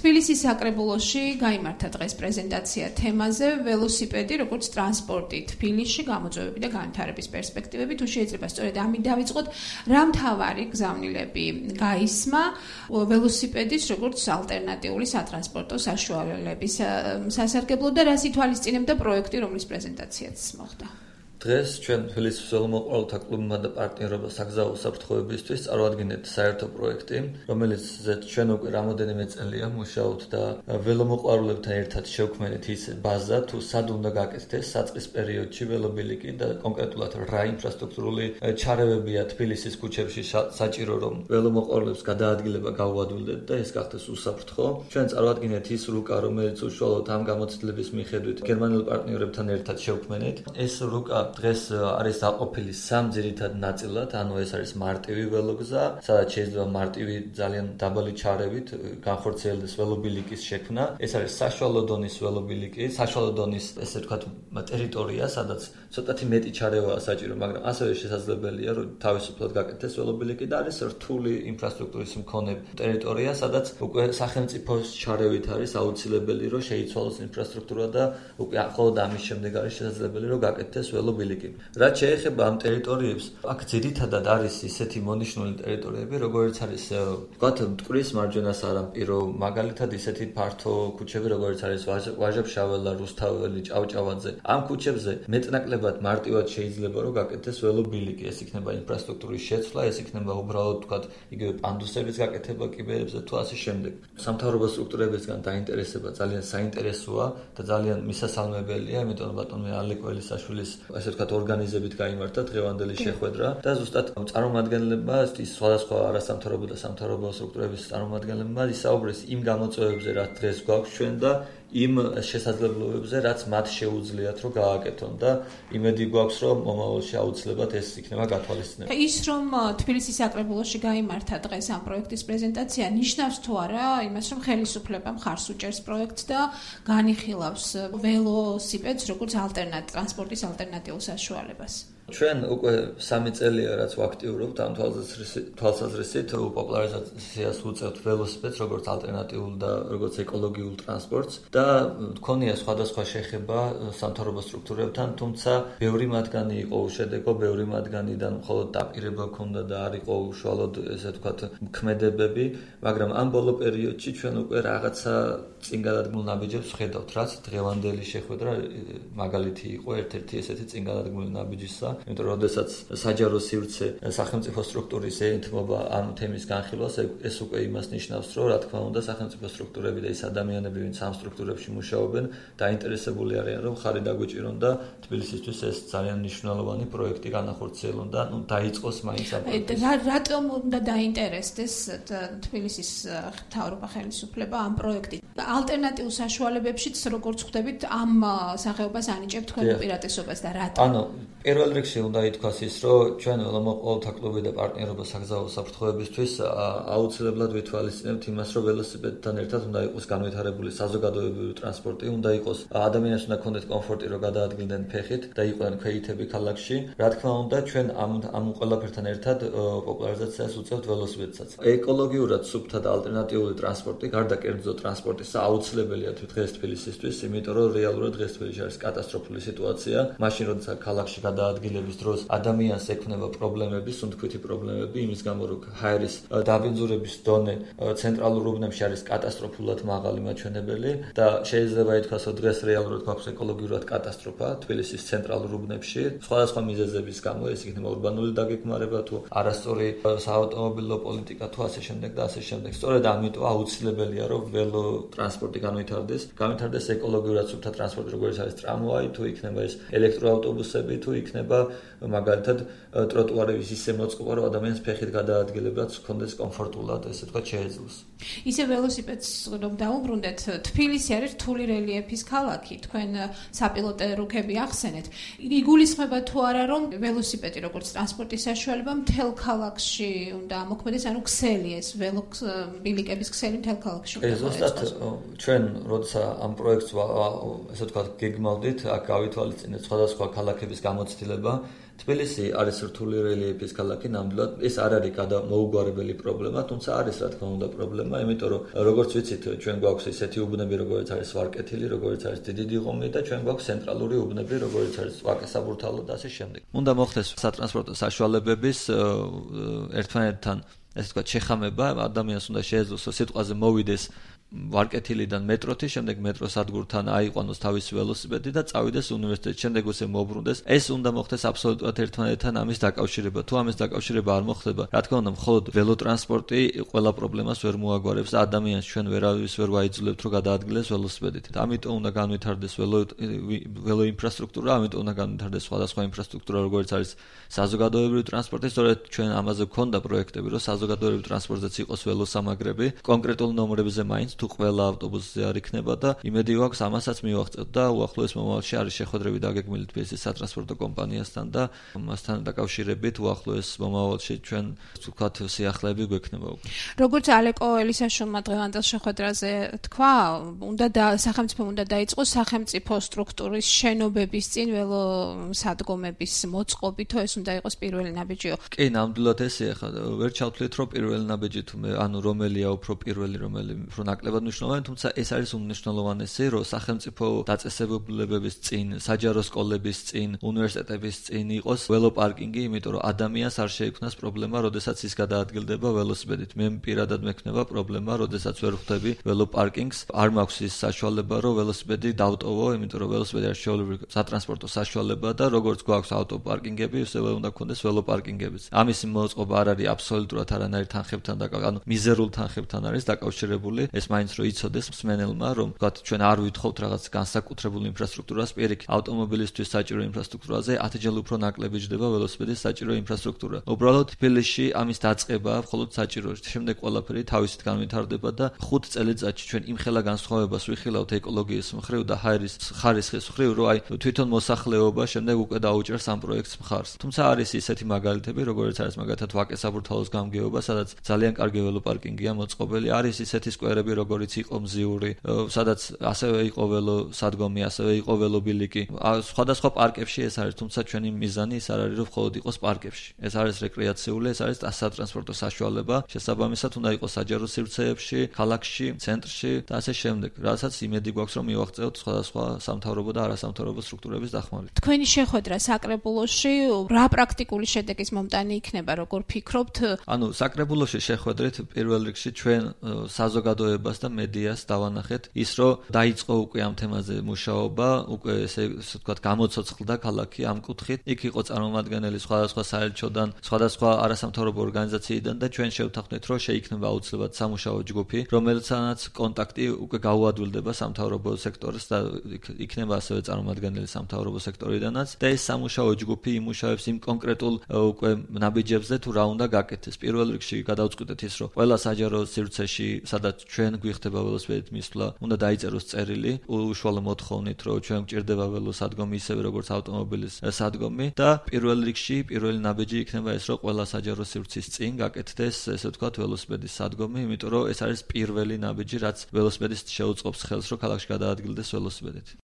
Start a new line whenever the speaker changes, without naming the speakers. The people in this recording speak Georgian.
თბილისის საკრებულოში გაიმართა დღეს პრეზენტაცია თემაზე ველოსიპედი როგორც ტრანსპორტი თბილისში გამოწვევები და განვითარების პერსპექტივები. თუ შეიძლება სწორედ ამით დავიწყოთ, რა მთავარი გზავნილები გაისმა ველოსიპედის როგორც ალტერნატიული სატრანსპორტო საშუალებების სასარგებლოდ და რას ითვალისწინებდა პროექტი, რომლის პრეზენტაციაც მოხდა.
დღეს ჩვენ თბილისის ველომოყვარულთა კლუბმა და პარტნიორობა საგზაო უსაფრთხოებისთვის წარვადგინეთ საერთო პროექტი, რომელიც ჩვენ უკვე რამოდენიმე წელია მუშაობთ და ველომოყვარულებთან ერთად შევქმნით ის ბაზა, თუ სად უნდა გაკეთდეს საწყის პერიოდში ველობილიკი და კონკრეტულად რა ინფრასტრუქტურული ჩარევებია თბილისის ქუჩებში საჭირო, რომ ველომოყვარულებს გადაადგილება გაუადვილდეთ და ეს გახდეს უსაფრთხო. ჩვენ წარვადგინეთ ის რუკა, რომელიც უშუალოდ ამ გამოცდილების მიხედვით გერმანელ პარტნიორებთან ერთად შევქმნით. ეს რუკა დღეს არის დაყოფილი სამ ძირითად ნაწილად, ანუ ეს არის მარტივი ველოგზა, სადაც შეიძლება მარტივი ძალიან დაბალი ჩარევით განხორციელდეს ველობილიკის შექმნა. ეს არის საშუალო დონის ველობილიკი, საშუალო დონის ესე ვთქვათ ტერიტორია, სადაც ცოტათი მეტი ჩარევაა საჭირო, მაგრამ ასევე შესაძლებელია, რომ თავისუფლად გაკეთდეს ველობილიკი და არის რთული ინფრასტრუქტურის მქონე ტერიტორია, სადაც უკვე სახელმწიფოს ჩარევით არის აუცილებელი, რომ შეიცვალოს ინფრასტრუქტურა და უკვე მხოლოდ ამის შემდეგ არის შესაძლებელი, რომ გაკეთდეს ველობილიკი. რაც შეეხება ამ ტერიტორიებს, აქ ძირითადად არის ისეთი მონიშნული ტერიტორიები, როგორც არის ვთქვათ მტკვრის მარჯვენა სანაპირო, მაგალითად ისეთი ფართო ქუჩები, როგორც არის ვაჟა-ფშაველა, რუსთაველი, ჭავჭავაძე. ამ ქუჩებზე მეტნაკლებად მარტივად შეიძლება რომ გაკეთდეს ველობილიკი, ეს იქნება ინფრასტრუქტურის შეცვლა, ეს იქნება უბრალოდ ვთქვათ იგივე პანდუსების გაკეთება კიბეებზე თუ ასე შემდეგ. სამთავრობო სტრუქტურებისგან დაინტერესება ძალიან საინტერესოა და ძალიან მისასალმებელია, იმიტომ რომ ბატონი ალეკ ველისაშვილის ასე ვთქვათ ორგანიზებით გაიმართა დღევანდელი შეხვედრა და ზუსტად წარმომადგენლებმა ის სხვადასხვა არასამთავრობო და სამთავრობო სტრუქტურების წარმომადგენლებმა ისაუბრეს იმ გამოწვევებზე, რაც დღეს გვაქვს ჩვენ და იმ შესაძლებლობებზე, რაც მათ შეუძლიათ რომ გააკეთონ და იმედი გვაქვს, რომ მომავალში აუცილებლად ეს იქნება გათვალისწინებული.
ის რომ თბილისის საკრებულოში გაიმართა დღეს ამ პროექტის პრეზენტაცია ნიშნავს თუ არა იმას, რომ ხელისუფლება მხარს უჭერს პროექტს და განიხილავს ველოსიპედს როგორც ტრანსპორტის ალტერნატიულ საშუალებას.
ჩვენ უკვე 3 წელია რაც ვაქტიურობთ ამ თვალსაზრისით პოპულარიზაციას ვუწევთ ველოსიპედს როგორც ალტერნატიულ და როგორც ეკოლოგიურ ტრანსპორტს და მქონია სხვადასხვა შეხება სამთავრობო სტრუქტურებთან, თუმცა ბევრი მათგანი იყო უშედეგო, ბევრი მათგანიდან მხოლოდ დაპირება ჰქონდა და არ იყო უშუალოდ ესე ვთქვათ ქმედებები, მაგრამ ამ ბოლო პერიოდში ჩვენ უკვე რაღაცა წინ გადადგმულ ნაბიჯებს ვხედავთ, რაც დღევანდელი შეხვედრა მაგალითი იყო ერთ-ერთი ესეთი წინ გადადგმული ნაბიჯისა. იმიტომ რომ შესაძაც საჯარო სივრცე სახელმწიფო სტრუქტურის ეთმობა ამ თემის განხილვას, ეს უკვე იმას ნიშნავს, რომ რა თქმა უნდა სახელმწიფო სტრუქტურები და ის ადამიანები, ვინც ამ სტრუქტურებში მუშაობენ, დაინტერესებული არიან, რომ ხარი დაგვიჭირონ და თბილისისთვის ეს ძალიან მნიშვნელოვანი პროექტი განახორციელონ და დაიწყოს მაინც ამ პროექტს.
რატომ უნდა დაინტერესდეს თბილისის მთავრობა ხელისუფლება ამ პროექტით? ალტერნატიულ საშუალებებშიც როგორც ხვდებით, ამ სახეობას ანიჭებთ თქვენ უპირატესობას და რატომ?
ანუ პირველ რიგში უნდა ითქვას ის, რომ ჩვენ ველომოყვარულთა კლუბი და პარტნიორობა საგზაო უსაფრთხოებისთვის აუცილებლად ვითვალისწინებთ იმას, რომ ველოსიპედთან ერთად უნდა იყოს განვითარებული საზოგადოებრივი ტრანსპორტი, უნდა იყოს ადამიანს უნდა ქონდეთ კომფორტი, რომ გადაადგილდნენ ფეხით და იყვნენ ქვეითები ქალაქში. რა თქმა უნდა, ჩვენ ამ ყველაფერთან ერთად პოპულარიზაციას უწევთ ველოსიპედსაც. ეკოლოგიურად სუფთა და ალტერნატიული ტრანსპორტი, გარდა კერძო ტრანსპორტისა, აუცილებელია დღეს თბილისისთვის, იმიტომ რომ რეალურად დღეს თბილისში არის კატასტროფული სიტუაცია. მაშინ როდესაც ქალაქში გადაადგილების დროს ადამიანს ექმნება პრობლემები, სუნთქვითი პრობლემები, იმის გამო რომ ჰაერის დაბინძურების დონე ცენტრალურ უბნებში არის კატასტროფულად მაღალი მაჩვენებელი და შეიძლება ითქვას, რომ დღეს რეალურად გვაქვს ეკოლოგიურად კატასტროფა თბილისის ცენტრალურ უბნებში. სხვადასხვა მიზეზების გამო ეს იქნება ურბანული დაგეგმარება თუ არასწორი საავტომობილო პოლიტიკა თუ ასე შემდეგ და ასე შემდეგ. სწორედ ამიტომ აუცილებელია, რომ ველო ტრანსპორტი განვითარდეს ეკოლოგიურად სუფთა ტრანსპორტი, როგორც არის ტრამვაი, თუ იქნება ეს ელექტროავტობუსები, თუ იქნება მაგალითად ტროტუარების ისე მოწყობა, რომ ადამიანს ფეხით გადაადგილებაც ჰქონდეს კომფორტულად, ესე ვთქვათ, შეეძლოს.
ისე ველოსიპედს რომ დაუბრუნდეთ, თბილისი არის რთული რელიეფის ქალაქი, თქვენ საპილოტე რუქები ახსენეთ. იგულისხმება თუ არა, რომ ველოსიპედი როგორც ტრანსპორტის საშუალება მთელ ქალაქში უნდა ამოქმედეს, ანუ ქსელი ეს ველობილიკების ქსელი მთელ ქალაქში უნდა
ზუსტად ჩვენ როცა ამ პროექტს ესე ვთქვათ გეგმავდით, აქ გავითვალისწინეთ სხვადასხვა ქალაქების გამოცდილება თბილისი არის რთული რელიეფის ქალაქი, ნამდვილად ეს არ არის გადამოუგვარებელი პრობლემა, თუმცა არის რა თქმა უნდა პრობლემა, იმიტომ რომ როგორც ვიცით, ჩვენ გვაქვს ისეთი უბნები, როგორც არის ვარკეთილი, როგორც არის დიდი დიღომი და ჩვენ გვაქვს ცენტრალური უბნები, როგორც არის ვაკე-საბურთალო და ასე შემდეგ. უნდა მოხდეს სატრანსპორტო საშუალებების ერთმანეთთან, ესე ვთქვათ, შეხამება, ადამიანს უნდა შეეძლოს სიტყვაზე მოვიდეს ვარკეთილიდან მეტროთი, შემდეგ მეტროს სადგურთან აიყვანოს თავისი ველოსიპედი და წავიდეს უნივერსიტეტში, შემდეგ ისე მოუბრუნდეს. ეს უნდა მოხდეს აბსოლუტურად ერთმანეთთან ამის დაკავშირება. თუ ამის დაკავშირება არ მოხდება, რა თქმა უნდა, მხოლოდ ველოტრანსპორტი ყველა პრობლემას ვერ მოაგვარებს და ადამიანს ჩვენ ვერავის ვერ ვაიძულებთ, რომ გადაადგილდეს ველოსიპედით. ამიტომ უნდა განვითარდეს ველო ინფრასტრუქტურა, ამიტომ უნდა განვითარდეს სხვადასხვა ინფრასტრუქტურა, როგორც არის საზოგადოებრივი ტრანსპორტი, სწორედ ჩვენ ამაზე გვქონდა პროექტები, რომ საზოგადოებრივ ტრანსპორტზეც იყოს ველოსამაგრები, კონკრეტულ ნომრებზე მაინც თუ ყველა ავტობუსზე არ იქნება და იმედი გვაქვს ამასაც მივაღწევთ და უახლოეს მომავალში არის შეხვედრები დაგეგმილი თბილისის სატრანსპორტო კომპანიასთან და მასთან დაკავშირებით უახლოეს მომავალში ჩვენ ვთქვათ სიახლეები გვექნება უკვე.
როგორც ალეკო ელისაშვილმა დღევანდელ შეხვედრაზე თქვა, სახელმწიფომ უნდა დაიწყოს სახელმწიფო სტრუქტურის შენობების წინ ველოსადგომების მოწყობით, თუ ეს უნდა იყოს პირველი ნაბიჯიო.
კი, ნამდვილად ესე ხა ვერ ჩავთვლით, რომ პირველი ნაბიჯი თუ რომელია უფრო პირველი, რომელი უფრო ნაკლებად მნიშვნელოვანი, თუმცა ეს არის უმნიშვნელოვანესი, რომ სახელმწიფო დაწესებულებების წინ, საჯარო სკოლების წინ, უნივერსიტეტების წინ იყოს ველოპარკინგი, იმიტომ რომ ადამიანს არ შეექმნას პრობლემა, როდესაც ის გადაადგილდება ველოსიპედით. მე პირადად მექნება პრობლემა, როდესაც ვერ ხვდები ველოპარკინგს, არ მაქვს ის საშუალება, რომ ველოსიპედი დავტოვო, იმიტომ რომ ველოსიპედი არის შეუძლებელი სატრანსპორტო საშუალება და როგორც გვაქვს ავტოპარკინგები, ისევე უნდა გქონდეს ველოპარკინგებიც. ამის მოწყობა არ არის აბსოლუტურად არანაირ თანხებთან ანუ მიზერულ თანხებთან არის დაკავშირებული. ეს მაინც რომ იცოდეს მსმენელმა, რომ ვთქვათ, ჩვენ არ ვითხოვთ რაღაც განსაკუთრებულ ინფრასტრუქტურას, პირიქით, ავტომობილისთვის საჭირო ინფრასტრუქტურაზე 10-ჯერ უფრო ნაკლები ჯდება ველოსიპედის საჭირო ინფრასტრუქტურა. უბრალოდ თბილისში ამის დაწყება მხოლოდ საჭირო. შემდეგ ყველაფერი თავისით განვითარდება და 5 წელიწადში ჩვენ იმხელა განსხვავებას ვიხილავთ ეკოლოგიის მხრივ და ხარისხის მხრივ, რომ აი თვითონ მოსახლეობა შემდეგ უკვე დაუჭერს ამ პროექტს მხარს. თუმცა არის ისეთი მაგალითები, როგორც არის მაგალითად ვაკე-საბურთალოს გამგეობა, სადაც ძალიან კარგი ველოპარკინგია მოწყობილი, არის ისეთი სკვერები, როგორც იყო მზიური, სადაც ასევე იყო ველოსადგომი, ასევე იყო ველობილიკი. სხვადასხვა პარკებში ეს არის, თუმცა ჩვენი მიზანი ის არ არის, რომ მხოლოდ იყოს პარკებში. ეს არის რეკრეაციული, ეს არის სატრანსპორტო საშუალება. შესაბამისად უნდა იყოს საჯარო სივრცეებში, ქალაქში, ცენტრში და ასე შემდეგ. რასაც იმედი გვაქვს, რომ მივაღწევთ სხვადასხვა სამთავრობო და არასამთავრობო სტრუქტურების დახმარებით.
თქვენი შეხვედრა საკრებულოში რა პრაქტიკული შედეგის მომტანი იქნება, როგორ ფიქრობთ?
ანუ საკრებულოში შეხვედრით პირველ რიგში ჩვენ საზოგადოებას და მედიას დავანახეთ ის, რომ დაიწყო უკვე ამ თემაზე მუშაობა, უკვე ესე ვთქვათ, გამოცოცხლდა ქალაქი ამ კუთხით. იქ იყო წარმომადგენელი სხვადასხვა საელჩოდან, სხვადასხვა არასამთავრობო ორგანიზაციიდან და ჩვენ შევთანხმდით, რომ შეიქმნება აუცილებლად სამუშაო ჯგუფი, რომელთანაც კონტაქტი უკვე გაუადვილდება სამთავრობო სექტორს და იქნება ასევე წარმომადგენელი სამთავრობო სექტორიდანაც და ეს სამუშაო ჯგუფი იმუშავებს იმ კონკრეტულ უკვე ნაბიჯებზე, თუ რა უნდა გაკეთდეს. პირველ რიგში გადავწყვიტეთ ის, რომ ყველა საჯარო სივრცეში, სადაც ჩვენ გვიხდება ველოსიპედით მისვლა, უნდა დაიწეროს წერილი უშუალო მოთხოვნით, რომ ჩვენ გვჭირდება ველოსადგომი ისევე როგორც ავტომობილის სადგომი და პირველ რიგში პირველი ნაბიჯი იქნება ეს, რომ ყველა საჯარო სივრცის წინ გაკეთდეს, ესე ვთქვათ, ველოსიპედის სადგომი, იმიტომ რომ ეს არის პირველი ნაბიჯი, რაც ველოსიპედისტს შეუწყობს ხელს, რომ ქალაქში გადაადგილდეს ველოსიპედით.